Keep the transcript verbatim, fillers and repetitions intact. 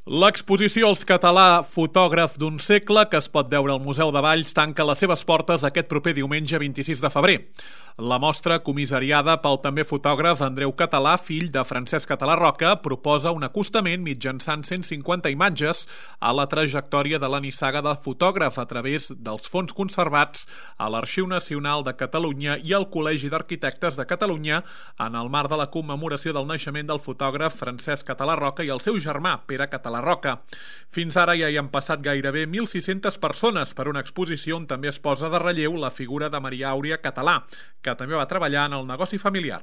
L'exposició Els Català, fotògraf d'un segle, que es pot veure al Museu de Valls, tanca les seves portes aquest proper diumenge vint-i-sis de febrer. La mostra, comissariada pel també fotògraf Andreu Català, fill de Francesc Català Roca, proposa un acostament mitjançant cent cinquanta imatges a la trajectòria de la nissaga de fotògraf a través dels fons conservats a l'Arxiu Nacional de Catalunya i al Col·legi d'Arquitectes de Catalunya en el marc de la commemoració del naixement del fotògraf Francesc Català Roca i el seu germà, Pere Català Roca. Fins ara ja hi han passat gairebé mil sis-centes persones per una exposició on també es posa de relleu la figura de Maria Àuria Català, que també va treballar en el negoci familiar.